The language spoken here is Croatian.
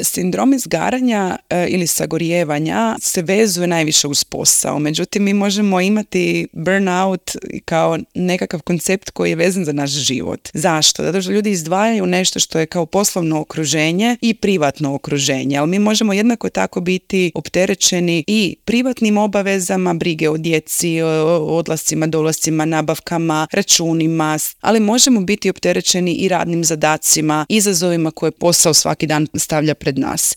Sindrom izgaranja ili sagorijevanja se vezuje najviše uz posao. Međutim, mi možemo imati burnout kao nekakav koncept koji je vezan za naš život. Zašto? Zato što ljudi izdvajaju nešto što je kao poslovno okruženje i privatno okruženje, ali mi možemo jednako tako biti opterećeni i privatnim obavezama, brige o djeci, odlascima, dolascima, nabavkama, računima, ali možemo biti opterećeni i radnim zadacima, izazovima koje posao svaki dan stavlja pred nas.